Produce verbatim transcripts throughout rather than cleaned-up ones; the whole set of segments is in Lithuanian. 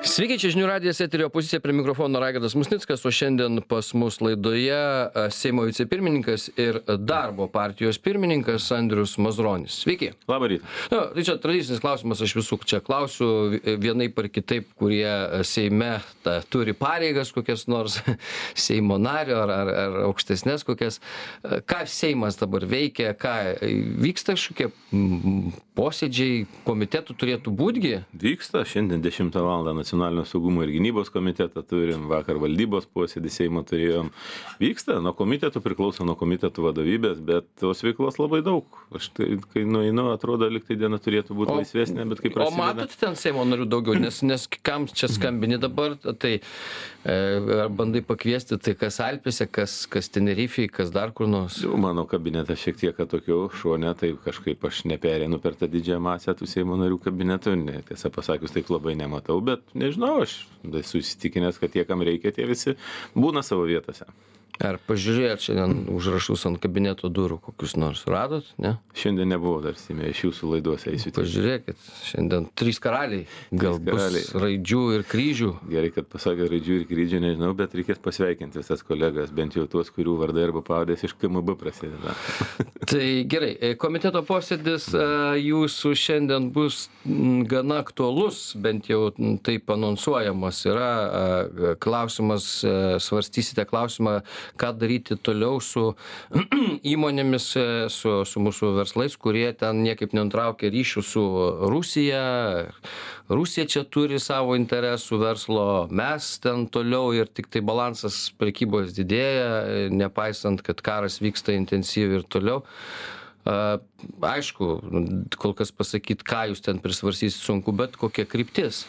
Sveiki, čia žinių radijas eterio opozicija, prie mikrofono Raigardas Musnickas, o šiandien pas mus laidoje Seimo vicepirmininkas ir darbo partijos pirmininkas Andrius Mazuronis. Sveiki. Labą rytą. Na, tai čia tradicinis klausimas, aš visų čia klausiu vienaip ar kitaip, kurie Seime ta, turi pareigas kokias nors Seimo nario ar, ar, ar aukštesnės kokias. Ką Seimas dabar veikia, ką vyksta kažkokie posėdžiai, komitetų turėtų būtgi? Vyksta, šiandien dešimtą valandą Nacionalinio saugumo ir gynybos komitetą turim, vakar valdybos posėdį Seimo turėjom. Vyksta, nuo komitetų priklauso nuo komitetų vadovybės, bet tos veiklos labai daug. Aš tai, kai nueinu, atrodo, lyg tai diena turėtų būti laisvesnė, bet kaip prasideda. O matot ten Seimo narių daugiau, nes, nes kam čia skambini dabar, tai e, bandai pakviesti, tai kas Alpėse, kas, kas Tenerifei, kas dar kur nors. Jau mano kabinetas šiek tiek atokiau šone, tai kažkaip aš neperėnu per tą didžiąją masę tų Seimo narių kabinetų, ne, tiesą pasakius, taip labai nematau, bet nežinau, aš esu įsitikinęs, kad tie, kam reikia, tie visi būna savo vietose. Ar pažiūrėjot šiandien užrašus ant kabineto durų kokius nors radot, ne? Šiandien nebuvo dar Seime, iš jūsų laidos eisiu. Pažiūrėkit, šiandien trys karaliai, gal karaliai. Bus raidžių ir kryžių. Gerai, kad pasakė raidžių ir kryžių, nežinau, bet reikės pasveikinti visas kolegas, bent jau tuos, kurių vardai arba pavardės iš K M B prasideda. Tai gerai, komiteto posėdis jūsų šiandien bus gana aktualus, bent jau taip anonsuojamas yra klausimas, svarstysite klausimą, ką daryti toliau su įmonėmis, su, su mūsų verslais, kurie ten niekaip nenutraukia ryšių su Rusija. Rusija čia turi savo interesų verslo, mes ten toliau ir tik tai balansas prekybos didėja, nepaisant, kad karas vyksta intensyviai ir toliau. Aišku, kol kas pasakyti, ką jūs ten prisvarsysit sunku, bet kokia kryptis?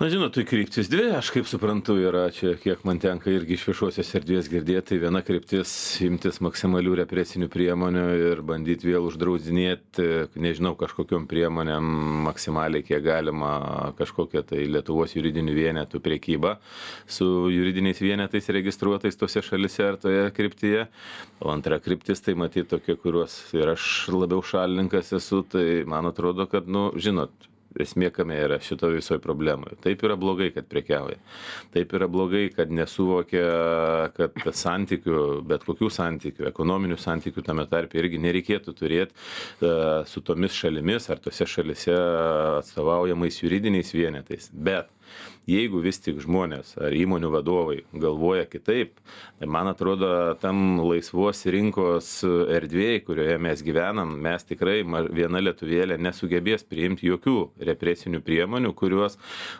Na, žinot, tai kryptis dvi, aš kaip suprantu, yra čia, kiek man tenka irgi iš viešosios erdvės girdėti, tai viena kryptis imtis maksimalių represinių priemonių ir bandyti vėl uždraudinėti, nežinau, kažkokiom priemonėm maksimaliai, kiek galima, kažkokią tai Lietuvos juridinių vienetų priekybą su juridiniais vienetais registruotais tose šalise ar toje kryptyje. O antra kryptis, tai matyti tokie, kuriuos ir aš labiau šalininkas esu, tai man atrodo, kad, nu, žinot, esmė kame yra šito visoje problemoje. Taip yra blogai, kad prekiauja. Taip yra blogai, kad nesuvokia, kad santykių, bet kokių santykių, ekonominių santykių tame tarpe irgi nereikėtų turėti uh, su tomis šalimis ar tose šalise atstovaujamais juridiniais vienetais. Bet jeigu vis tik žmonės ar įmonių vadovai galvoja kitaip, tai man atrodo, tam laisvos rinkos erdvėje, kurioje mes gyvenam, mes tikrai viena lietuvėlė nesugebės priimti jokių represinių priemonių, kurios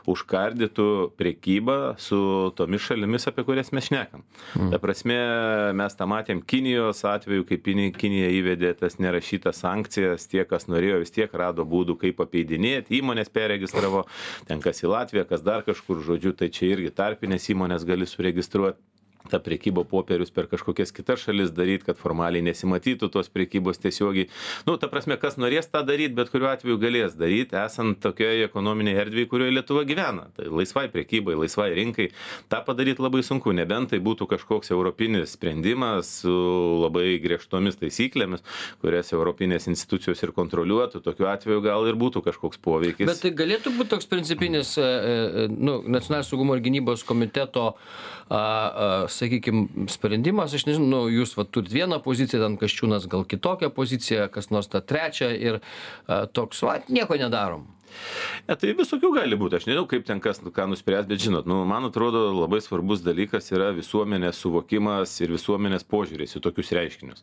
užkardytų prekybą su tomis šalimis, apie kurias mes šnekam. Mm. Ta prasme, mes tą matėm Kinijos atveju, kaip Kinija įvedė tas nerašytas sankcijas, tie, kas norėjo, vis tiek rado būdų, kaip apeidinėti, įmonės perregistravo, ten kas į Latviją, kas dar kažkur, žodžiu, tai čia irgi tarpinės įmonės gali suregistruoti tą prekybą popierius per kažkokias kitas šalis daryti, kad formaliai nesimatytų tos prekybos tiesiogiai. Nu, ta prasme, kas norės tą daryti, bet kuriuo atveju galės daryti, esant tokioje ekonominėje erdvėje, kurioje Lietuva gyvena. Tai laisvai prekybai, laisvai rinkai, tą padaryti labai sunku, nebent tai būtų kažkoks europinis sprendimas su labai griežtomis taisyklėmis, kurias europinės institucijos ir kontroliuotų, tokiu atveju gal ir būtų kažkoks poveikis. Bet tai galėtų būti toks principinis, nu, Nacionalinio saugumo ir gynybos komiteto a, a, sakykime, sprendimas, aš nežinau, nu, jūs va, turit vieną poziciją, ten Kasčiūnas gal kitokią poziciją, kas nors tą trečią ir a, toks, va, nieko nedarom. Ne, tai visokių gali būti, aš nežinau, kaip ten kas ką nuspręs, bet žinot, nu, man atrodo, labai svarbus dalykas yra visuomenės suvokimas ir visuomenės požiūrės į tokius reiškinius.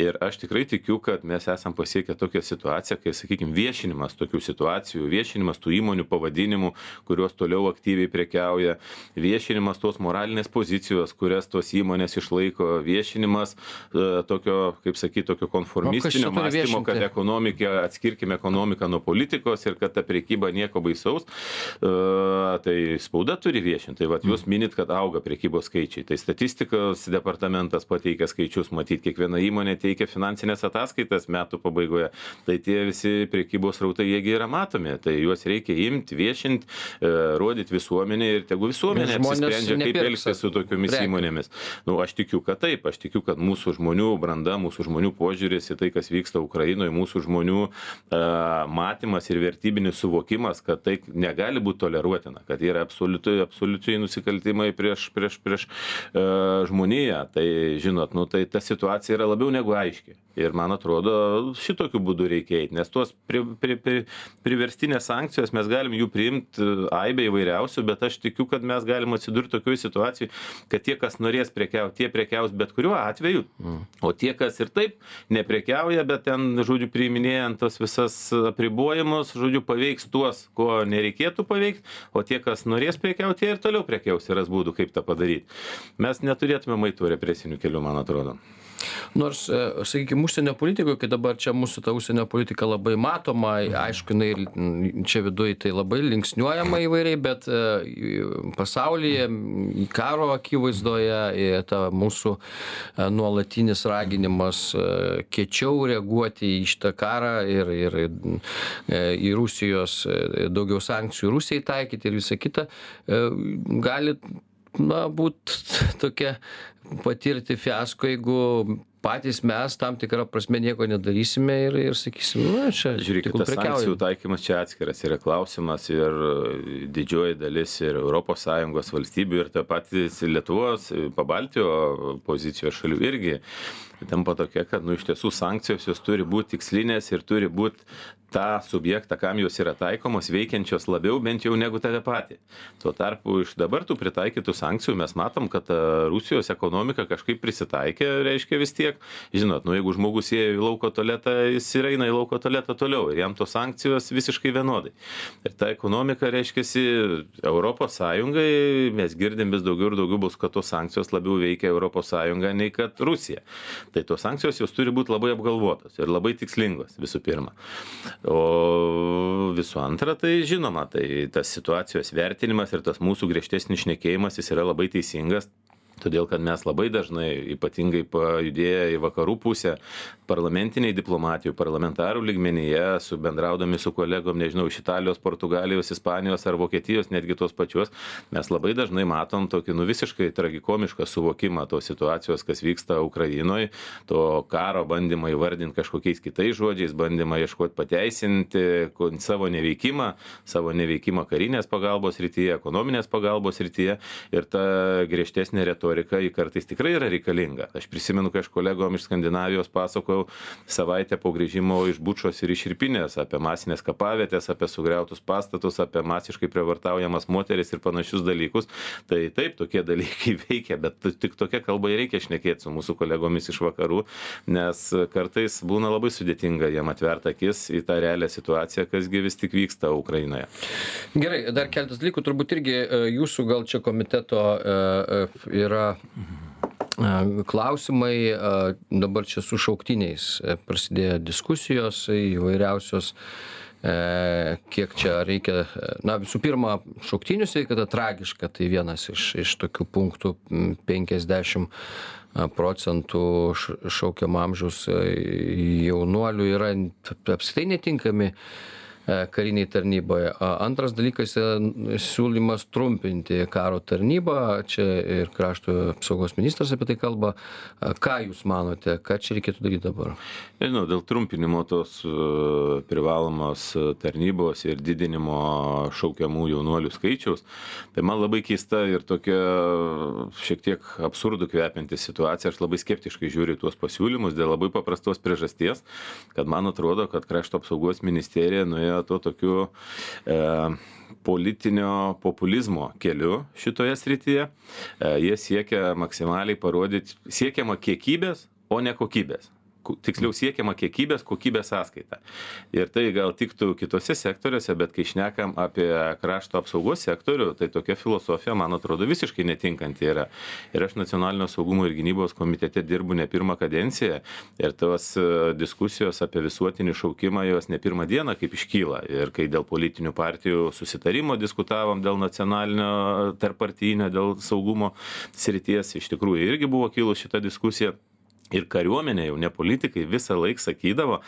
Ir aš tikrai tikiu, kad mes esam pasiekę tokią situaciją, kai, sakykime, viešinimas tokių situacijų, viešinimas tų įmonių pavadinimų, kurios toliau aktyviai prekiauja, viešinimas tos moralinės pozicijos, kurias tos įmonės išlaiko, viešinimas e, tokio, kaip sakyti, tokio konformistinio mąstymo, kad ekonomiką, atskirkime ekonomiką nuo politikos ir kad ta prekyba nieko baisaus, uh, tai spauda turi viešinti. Tai vat, jūs minit, kad auga prekybos skaičiai. Tai statistikos departamentas pateikia skaičius, matyt, kiekviena įmonė teikia finansinės ataskaitas metų pabaigoje. Tai tie visi prekybos rautai, jiegi yra matomi. Tai juos reikia imti, viešinti, uh, rodyti visuomenė ir tegu visuomenė apsisprendžia, kaip elgtis su tokiomis Prek. įmonėmis. Nu, aš tikiu, kad taip. Aš tikiu, kad mūsų žmonių branda, mūsų žmonių požiūris į tai, kas vyksta Ukrainoje, mūsų žmonių uh, matymas ir vertybinis politinis suvokimas, kad tai negali būti toleruotina, kad yra absoliučiai, absoliučiai nusikaltimai prieš, prieš, prieš e, žmoniją. Tai, žinot, nu, tai ta situacija yra labiau negu aiški. Ir man atrodo, šitokiu būdu reikia eiti, nes tuos pri, pri, pri, priverstinės sankcijos mes galim jų priimti aibę įvairiausių, bet aš tikiu, kad mes galim atsidurti tokioje situacijoje, kad tie, kas norės prekiauti, tie prekiaus bet kuriuo atveju, mm. o tie, kas ir taip neprekiauja, bet ten, žodžiu, priiminėjant tos visas apribojimus, žodžiu, paveiks tuos, ko nereikėtų paveikti, o tie, kas norės prekiauti, tie ir toliau prekiaus ir ras būdų, kaip tą padaryti. Mes neturėtume maitų represinių kelių, man atrodo. Nors, sakykime, užsienio politikoje, kai dabar čia mūsų ta užsienio politika labai matoma, aišku, jinai čia viduje tai labai linksniuojama įvairiai, bet pasaulyje, karo akivaizdoje, ta mūsų nuolatinis raginimas kiečiau reaguoti į šitą karą ir, ir į Rusijos daugiau sankcijų Rusijai taikyti ir visą kitą, gali na, būt tokia patirti fiasko, jeigu patys mes tam tikrą prasme nieko nedarysime ir, ir sakysim, na, čia žiūrėkit, tas sankcijų taikymas čia atskiras yra klausimas ir didžioji dalis ir Europos Sąjungos valstybių ir ta patys Lietuvos, Pabaltijo pozicijos šalių irgi tampa tokia, kad nu, iš tiesų sankcijos jos turi būti tikslinės ir turi būti tą subjektą, kam jos yra taikomos, veikiančios labiau bent jau negu tave patį. Tuo tarpu iš dabar tų pritaikytų sankcijų mes matom, kad Rusijos ekonomika kažkaip prisitaikė, reiškia vis tiek. Žinot, nu jeigu žmogus ėjo į lauko tualetą, jis ir eina į lauko tualetą toliau ir jam tos sankcijos visiškai vienodai. Ir ta ekonomika, reiškiasi, Europos Sąjungai, mes girdim vis daugiau ir daugiau bus, kad tos sankcijos labiau veikia Europos Sąjungą nei kad Rusija. Tai tos sankcijos jos turi būti labai apgalvotos ir labai tikslingos visų pirma. O visų antra, tai žinoma, tai tas situacijos vertinimas ir tas mūsų griežtesnis šnekėjimas jis yra labai teisingas. Todėl, kad mes labai dažnai, ypatingai pajudėję į vakarų pusę, parlamentiniai diplomatijų, parlamentarų lygmenyje, su bendraudami su kolegom, nežinau, iš Italijos, Portugalijos, Ispanijos ar Vokietijos, netgi tos pačios, mes labai dažnai matom tokį nu, visiškai tragikomišką suvokimą tos situacijos, kas vyksta Ukrainoje, to karo bandymą įvardinti kažkokiais kitais žodžiais, bandymą ieškoti pateisinti savo neveikimą, savo neveikimą karinės pagalbos rytyje, ekonominės pagalbos rytyje ir ta griežtesnė retorika į kartais tikrai yra reikalinga. Aš prisimenu, kai aš kolegom iš Skandinavijos pasakojau savaitę po grįžimo iš Bučos ir iš Irpinės apie masinės kapavietės, apie sugriautus pastatus, apie masiškai prievartaujamas moteris ir panašius dalykus. Tai taip, tokie dalykai veikia, bet tik tokia kalba ir reikia šnekėti su mūsų kolegomis iš vakarų, nes kartais būna labai sudėtinga jam atverti akis į tą realią situaciją, kasgi vis tik vyksta Ukrainoje. Gerai, dar keletas dalykų, turbūt irgi jūsų gal čia komiteto yra klausimai, dabar čia su šauktiniais prasidėjo diskusijos įvairiausios, kiek čia reikia, na visų pirma, šauktinių sveikata tragiška, tai vienas iš, iš tokių punktų penkiasdešimt procentų šaukiamo amžiaus jaunuolių yra apskritai netinkami kariniai tarnyboje. Antras dalykas siūlymas trumpinti karo tarnybą, čia ir krašto apsaugos ministras apie tai kalba. Ką jūs manote, ką čia reikėtų daryti dabar? Nežinau, dėl trumpinimo tos privalomos tarnybos ir didinimo šaukiamų jaunuolių skaičiaus, tai man labai keista ir tokia šiek tiek absurdų kvepianti situacija. Aš labai skeptiškai žiūriu tuos pasiūlymus dėl labai paprastos priežasties, kad man atrodo, kad krašto apsaugos ministerija nuėjo to tokiu e, politinio populizmo keliu šitoje srityje. E, jie siekia maksimaliai parodyti, siekiama kiekybės, o ne kokybės. Tiksliau siekiama kiekybės, kokybės sąskaita. Ir tai gal tiktų kitose sektoriuose, bet kai šnekam apie krašto apsaugos sektorių, tai tokia filosofija, man atrodo, visiškai netinkanti yra. Ir aš Nacionalinio saugumo ir gynybos komitete dirbu ne pirmą kadenciją ir tos diskusijos apie visuotinį šaukimą jos ne pirmą dieną kaip iškyla. Ir kai dėl politinių partijų susitarimo diskutavom dėl nacionalinio tarppartijinio, dėl saugumo srities, iš tikrųjų irgi buvo kilus šita diskusija. Ir kariuomenė, jau ne politikai, visą laiką sakydavo,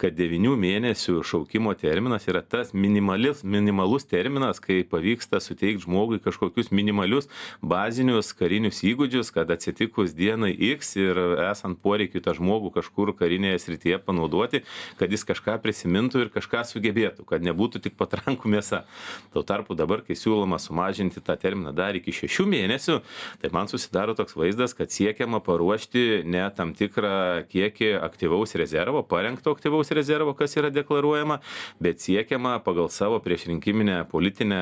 kad devynių mėnesių šaukimo terminas yra tas minimalis, minimalus terminas, kai pavyksta suteikti žmogui kažkokius minimalius bazinius karinius įgūdžius, kad atsitikus dienai X ir esant poreikiu tą žmogų kažkur karinėje srityje panaudoti, kad jis kažką prisimintų ir kažką sugebėtų, kad nebūtų tik patrankų mėsa. Tuo tarpu dabar, kai siūloma sumažinti tą terminą dar iki šešių mėnesių, tai man susidaro toks vaizdas, kad siekiama paruošti ne tam tikrą kiekį aktyvaus rezervo, parengto aktyvaus rezervo, kas yra deklaruojama, bet siekiama pagal savo priešrinkiminę politinę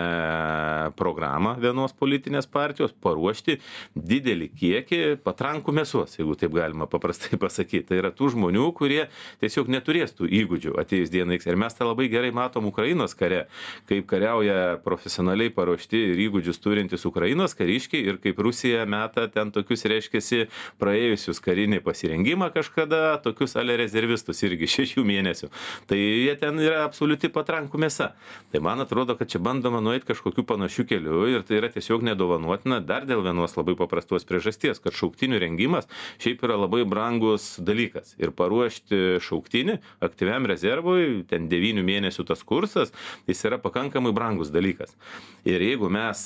programą vienos politinės partijos paruošti didelį kiekį patrankų mėsos, jeigu taip galima paprastai pasakyti. Tai yra tų žmonių, kurie tiesiog neturės tų įgūdžių atėjus dienai. Ir mes tą labai gerai matom Ukrainos kare, kaip kariauja profesionaliai paruošti ir įgūdžius turintys Ukrainos kariškiai ir kaip Rusija meta ten tokius, reiškiasi, praėjusius karinį pasirinkimą pasirengimą kažkada, tokius ale rezervistus irgi šešių mėnesių. Tai jie ten yra absoliuti patrankų mėsa. Tai man atrodo, kad čia bandoma nueiti kažkokiu panašiu keliu ir tai yra tiesiog nedovanotina dar dėl vienos labai paprastos priežasties, kad šauktinių rengimas šiaip yra labai brangus dalykas. Ir paruošti šauktinį aktyviam rezervui, ten devynių mėnesių tas kursas, jis yra pakankamai brangus dalykas. Ir jeigu mes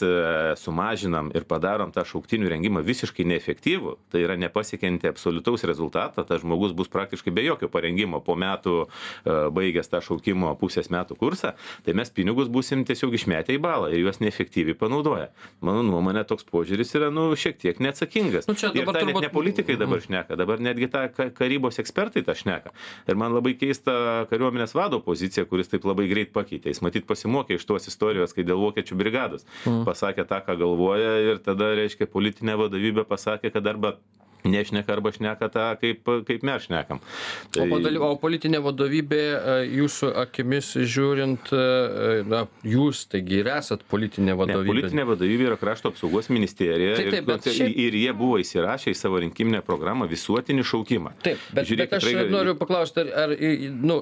sumažinam ir padarom tą šauktinių rengimą visiškai neefektyvų, tai yra nepasiekianti absoliutaus rezultatą, tas žmogus bus praktiškai be jokio parengimo po metų baigęs tą šaukimo pusės metų kursą, tai mes pinigus būsim tiesiog išmetę į balą ir juos neefektyviai panaudoja. Mano nuomonė, toks požiūris yra, nu, šiek tiek neatsakingas. Nu, ir tai turbūt... net ne politikai dabar šneka, dabar netgi tą karybos ekspertai tą šneka. Ir man labai keista kariuomenės vado pozicija, kuris taip labai greit pakeitė. Jis matyt pasimokė iš tos istorijos, kai dėl vokiečių brigados mm. pasakė tą, ką galvoja ir tada, reiškia, politinė vadovybė pasakė, kad arba nešneka arba šneka tą, kaip, kaip mes šnekam. Tai... O, padali, o politinė vadovybė, jūsų akimis žiūrint, na, jūs taigi ir esat politinė vadovybė. Ne, politinė vadovybė yra Krašto apsaugos ministerija taip, taip, ir, šiaip... ir jie buvo įsirašę į savo rinkiminę programą visuotinį šaukimą. Taip, bet, Žiūrėk, bet aš tikrai... noriu paklausti, ar, ar nu,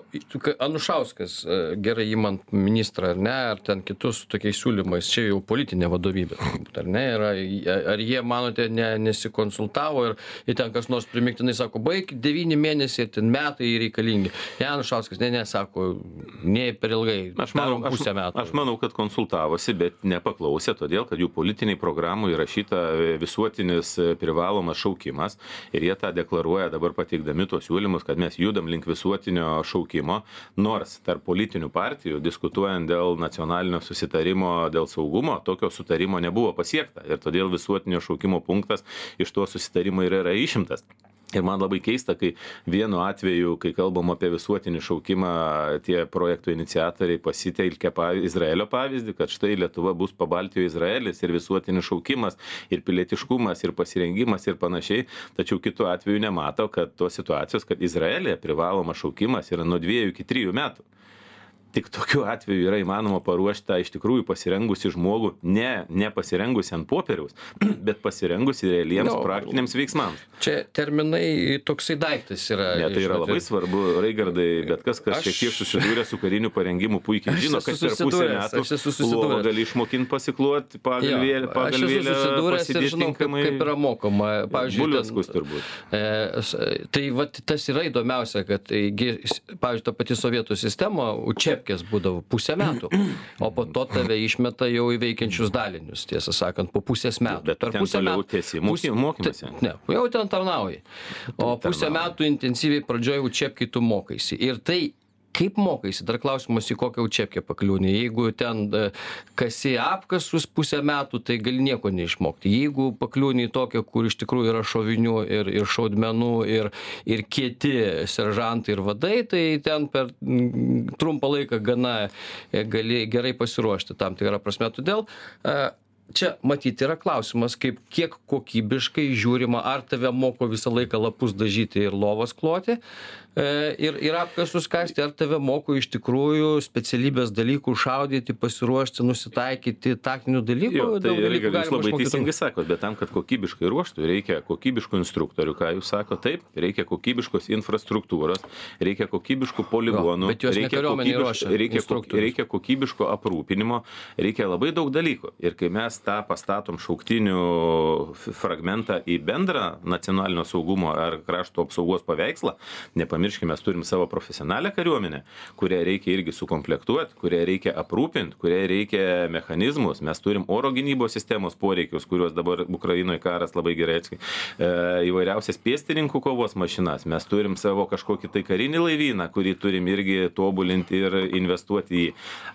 Anušauskas gerai įmant ministrą, ar ne, ar ten kitus tokiais siūlymais, čia jau politinė vadovybė, ar ne, ar, ar jie, manote, ne, nesikonsultavo ir ir ten kas nors primiktinai sako, baig devyni mėnesiai ir ten metai reikalingi. Ne, Anušauskas, ne, ne, sako, ne per ilgai, aš manau, pusę metų. Aš, aš manau, kad konsultavosi, bet nepaklausė, todėl, kad jų politiniai programų įrašyta visuotinis privalomas šaukimas ir jie tą deklaruoja dabar pateikdami tuos siūlymus, kad mes judam link visuotinio šaukimo, nors tarp politinių partijų, diskutuojant dėl nacionalinio susitarimo, dėl saugumo, tokio sutarimo nebuvo pasiekta ir todėl visuotinio šaukimo punktas iš to susitarimo yra yra išimtas. Ir man labai keista, kai vienu atveju, kai kalbam apie visuotinį šaukimą, tie projektų iniciatoriai pasitelkia Izraelio pavyzdį, kad štai Lietuva bus pabaltijo Izraelis ir visuotinis šaukimas, ir pilietiškumas, ir pasirengimas ir panašiai. Tačiau kitu atveju nemato, kad tos situacijos, kad Izraelėje privalomas šaukimas yra nuo dviejų iki trijų metų. Tik tokiu atveju yra įmanoma paruošti tą iš tikrųjų pasirengusi žmogų, ne, ne pasirengusi ant popieriaus, bet pasirengusi realiems no, praktiniams veiksmams. Čia terminai toksai daiktas yra. Ne, tai yra labai svarbu, Raigardai, bet kas, kas aš... šiek tiek susidūrė su kariniu parengimu, puikiai žino, kad per pusę metų lovą gali išmokinti pasikluoti, pagal vėlę, pagal vėlę pasidėti tinkamai. Kaip yra mokoma. Buliackus turbūt. E, tai vat, tas yra įdomiausia, kad, pavyzdžiui, ta pati sovietų sistema, čia būdavo pusę metų, o po to tave išmeta jau į veikiančius dalinius, tiesą sakant, po pusės metų. Bet per pusę metų tiesi mokymasi. Ne, jau ten tarnauji. O pusę metų intensyviai pradžioje učepkai tu mokaisi. Ir tai kaip mokaisi, dar klausimas, į kokią učepkę pakliūni. Jeigu ten kasi apkasus pusę metų, tai gali nieko neišmokti. Jeigu pakliūni į tokią, kur iš tikrųjų yra šovinių ir, ir šaudmenų ir, ir kieti seržantai ir vadai, tai ten per trumpą laiką gana gali gerai pasiruošti tam tikrą prasme. Todėl čia matyti yra klausimas, kaip kiek kokybiškai žiūrima, ar tave moko visą laiką lapus dažyti ir lovas kloti, ir, ir apkasus kasti, ar tave moko iš tikrųjų specialybės dalykų šaudyti, pasiruošti, nusitaikyti, taktinių dalykų? Jo, tai dalykų jūs labai teisingai sakot, bet tam, kad kokybiškai ruoštų, reikia kokybiškų instruktorių, ką jūs sako, taip, reikia kokybiškos infrastruktūros, reikia kokybiškų poligonų, jo, bet jos reikia, kokybiško, reikia, reikia kokybiško aprūpinimo, reikia labai daug dalykų. Ir kai mes tą pastatom šauktinių fragmentą į bendrą nacionalinio saugumo ar krašto apsaugos paveikslą, nepamirškime, mes turim savo profesionalią kariuomenę, kurią reikia irgi sukomplektuoti, kurią reikia aprūpinti, kurią reikia mechanizmus, mes turim oro gynybos sistemos poreikius, kuriuos dabar Ukrainoje karas labai gerai atskai, e, įvairiausias pėstininkų kovos mašinas, mes turim savo kažkokį tai karinį laivyną, kurį turim irgi tobulinti ir investuoti į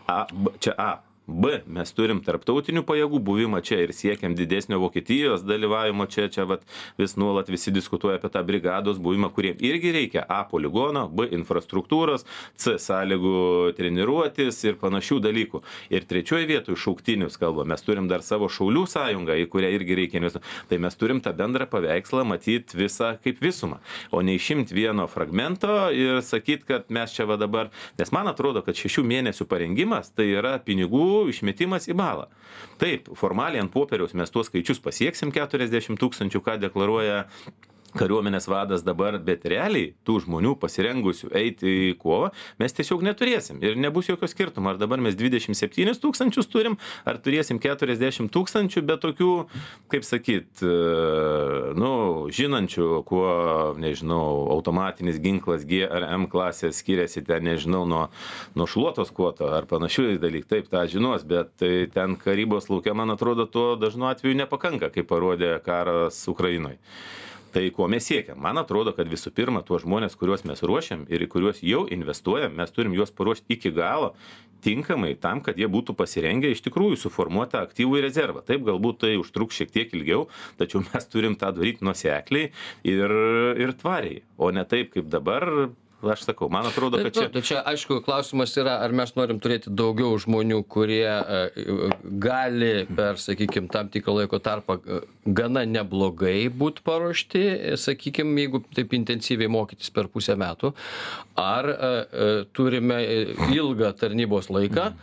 A, čia A. B, mes turim tarptautinių pajėgų buvimą čia ir siekiam didesnio Vokietijos dalyvavimo čia, čia vat, vis nuolat visi diskutuoja apie tą brigados buvimą, kuriem irgi reikia A poligono, B infrastruktūros, C sąlygų treniruotis ir panašių dalykų. Ir trečioje vietoje šauktinius kalba, mes turim dar savo šaulių sąjungą, į kurią irgi reikia investuoti. Tai mes turim tą bendrą paveikslą matyti visą kaip visumą, o ne išimti vieno fragmento ir sakyti, kad mes čia va dabar, nes man atrodo, kad šešių mėnesių parengimas tai yra pinigų išmetimas į balą. Taip, formaliai ant popieriaus mes tuos skaičius pasieksim keturiasdešimt tūkstančių, ką deklaruoja kariuomenės vadas dabar, bet realiai tų žmonių pasirengusių eiti į kovą mes tiesiog neturėsim ir nebus jokio skirtumo, ar dabar mes dvidešimt septynis tūkstančius turim, ar turėsim keturiasdešimt tūkstančių, bet tokių, kaip sakyt, nu, žinančių, kuo, nežinau, automatinis ginklas G ar M klasės skiriasi ten, nežinau, nuo, nuo šluotos kuoto ar panašių dalykų, taip, tą žinos, bet tai ten karybos laukia, man atrodo, to dažnu atveju nepakanka, kaip parodė karas Ukrainoje. Tai ko mes siekiam? Man atrodo, kad visų pirma, tuos žmonės, kuriuos mes ruošiam ir į kuriuos jau investuojam, mes turim juos paruošti iki galo, tinkamai tam, kad jie būtų pasirengę iš tikrųjų suformuotą aktyvų rezervą. Taip, galbūt tai užtruks šiek tiek ilgiau, tačiau mes turim tą daryti nuosekliai ir, ir tvariai, o ne taip, kaip dabar. Aš sakau, man atrodo, kad čia... Tai čia, aišku, klausimas yra, ar mes norim turėti daugiau žmonių, kurie gali per, sakykime, tam tikrą laiko tarpą gana neblogai būti paruošti, sakykime, jeigu taip intensyviai mokytis per pusę metų, ar turime ilgą tarnybos laiką,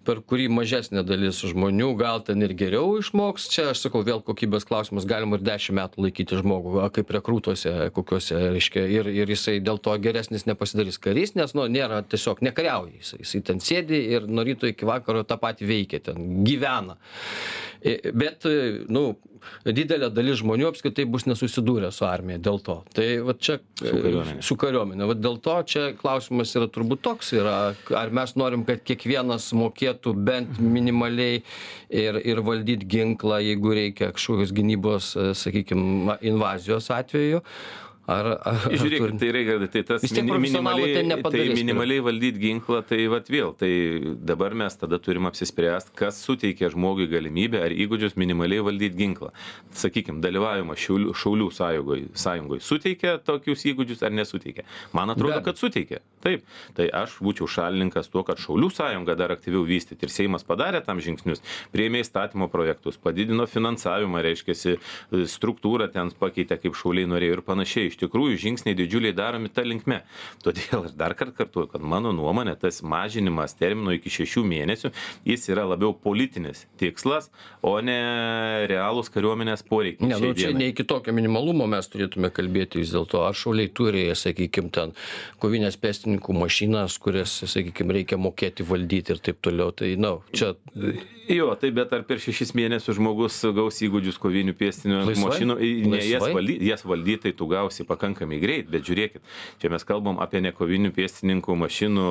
per kurį mažesnė dalis žmonių gal ten ir geriau išmoks. Čia, aš sakau, vėl kokybės klausimas, galima ir dešimt metų laikyti žmogų, kaip rekrūtuose kokiuose, reiškia, ir, ir jisai dėl to geresnis nepasidarys karys, nes, nu, nėra tiesiog nekariauja. Jisai, jisai ten sėdi ir nuo ryto iki vakaro tą patį veikia, ten gyvena. Bet, nu, didelė dalis žmonių apskritai bus nesusidūrę su armija dėl to. Tai va čia su kariuomenė. Su kariuomenė. Va dėl to čia klausimas yra turbūt toks yra, ar mes norim, kad kiekvienas mokėtų bent minimaliai ir, ir valdyti ginklą, jeigu reikia kažkokios gynybos, sakykime, invazijos atveju. Ar, ar, Žiūrėkit, tai reikia, tai tas minimaliai, tai minimaliai valdyti ginklą, tai vat vėl, tai dabar mes tada turim apsispręsti, kas suteikia žmogui galimybę ar įgūdžius minimaliai valdyti ginklą. Sakykime, dalyvavimą šaulių, šaulių sąjungoje, sąjungoje suteikia tokius įgūdžius ar nesuteikia. Man atrodo, kad suteikia. Taip, tai aš būčiau šalininkas tuo, kad šaulių sąjunga dar aktyviau vystyti ir Seimas padarė tam žingsnius, priėmė įstatymo projektus, padidino finansavimą, reiškiasi, struktūrą ten pakeitė, kaip šauliai norėjo ir panašiai. Iš tikrųjų, žingsniai didžiuliai daromi tą linkme. Todėl aš dar kartą kartuoju, kad mano nuomonė, tas mažinimas termino iki šešių mėnesių, jis yra labiau politinis tikslas, o ne realūs kariuomenės poreikiai. Ne, nu čia ne iki tokio minimalumo mes turėtume kalbėti vis dėlto. Ar šauliai turi, sakykime, ten kovinės pėstininkų mašinas, kurias, sakykime, reikia mokėti valdyti ir taip toliau. Tai, na, čia... Jo, tai bet ar per šešis mėnesius žmogus gaus įgūdžius kovinių pėstininkų mašinų, ne jas valdyti, jas valdyti, tai tu gausi pakankamai greit, bet žiūrėkit, čia mes kalbam apie ne kovinių pėstininkų mašinų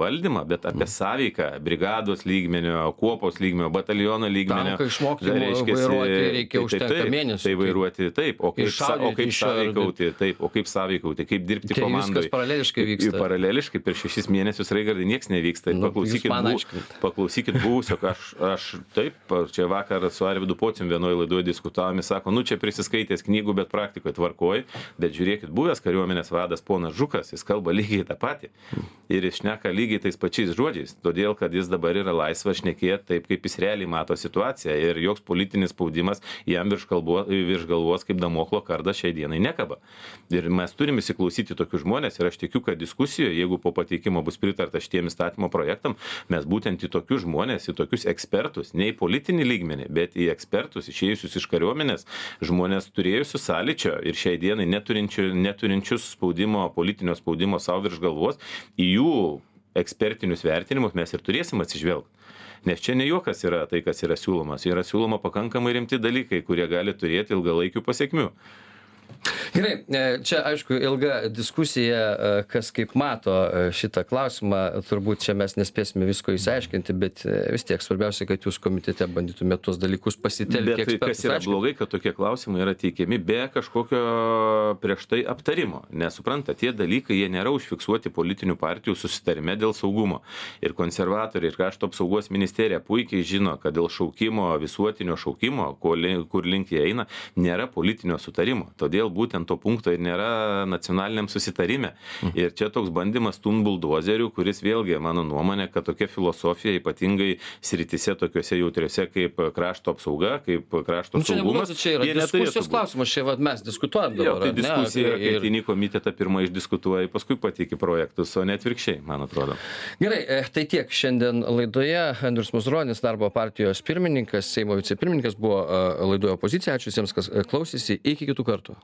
valdymą, bet apie mm. sąveiką brigados lygmenio, kuopos lygmenio, bataliono lygmenio. Tanką išmokti vairuoti reikia užtenka mėnesių. Tai vairuoti taip, o kaip, sa, o kaip sąveikauti, taip, o kaip sąveikauti, kaip dirbti tai komandai. Viskas paraleliškai vyksta. Paraleliškai per šešis mėnesius, Raigardai, nieks nevyksta. Nu, paklausykit, bu, paklausykit buvusio, aš, aš taip, čia vakar su Arvydu Pocium vienoje laidoje diskutavome, sako, nu čia prisiskaitęs knygų, bet praktikoje tvarkoj, bet bet žiūrėkit, buvęs kariuomenės vadas ponas Žukas, jis kalba lygiai tą patį. Ir jis šneka lygiai tais pačiais žodžiais, todėl kad jis dabar yra laisvas šnekėti taip, kaip jis realiai mato situaciją ir joks politinis spaudimas jam virš, kalbo, virš galvos kaip damoklo kardas šiai dienai nekaba. Ir mes turime įsiklausyti tokius žmonės ir aš tikiu, kad diskusijoje, jeigu po pateikimo bus pritarta šitiem įstatymo projektam, mes būtent į tokius žmonės, į tokius ekspertus, ne į politinį lygmenį, bet į ekspertus išėjusius iš kariuomenės, žmonės turėjusius sąlyčio ir šiai dienai neturinčių, neturinčius spaudimo, politinio spaudimo savo virš galvos, į jų ekspertinius vertinimus mes ir turėsim atsižvelgti. Nes čia ne juokas yra tai, kas yra siūlomas. Yra siūloma pakankamai rimti dalykai, kurie gali turėti ilgalaikių pasiekmių. Gerai, čia aišku ilga diskusija, kas kaip mato šitą klausimą, turbūt čia mes nespėsime visko įsiaiškinti, bet vis tiek svarbiausia, kad jūs komitete bandytumėte tuos dalykus pasitelkti. Bet tai kas yra blogai, kad tokie klausimai yra teikiami be kažkokio prieš tai aptarimo. Nesupranta, tie dalykai, jie nėra užfiksuoti politinių partijų susitarime dėl saugumo. Ir konservatoriai, ir krašto apsaugos ministerija puikiai žino, kad dėl šaukimo, visuotinio šaukimo, kur link jie eina, nėra politinio sutarimo. Todėl būtent to punkto ir nėra nacionaliniam susitarime. Ir čia toks bandymas stumt buldozerių, kuris vėlgi, mano nuomonė, kad tokia filosofija ypatingai sritise tokiuose jautriuose kaip krašto apsauga, kaip krašto nu, čia saugumas. Čia yra diskusijos klausimas, čia vat, mes diskutuojam dabar. Jo, tai diskusija, ne, kai ir... ateini komitetą pirmą išdiskutuoji, paskui pateiki projektus, o ne atvirkščiai, man atrodo. Gerai, tai tiek šiandien laidoje. Andrius Mazuronis, Darbo partijos pirmininkas, Seimo vicepirmininkas, buvo laidoje opozicija. Ačiū visiems, kas klausėsi. Iki kitų kartų.